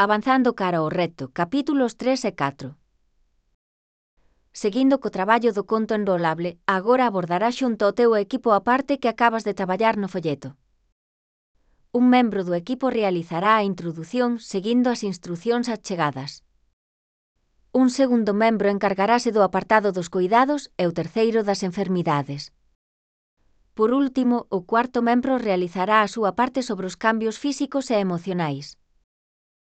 Avanzando cara ao reto, capítulos 3 e 4. Seguindo co traballo do conto enrolable, agora abordará xunto ao teu equipo a parte que acabas de traballar no folleto. Un membro do equipo realizará a introdución seguindo as instrucións achegadas. Un segundo membro encargarase do apartado dos cuidados e o terceiro das enfermidades. Por último, o cuarto membro realizará a súa parte sobre os cambios físicos e emocionais.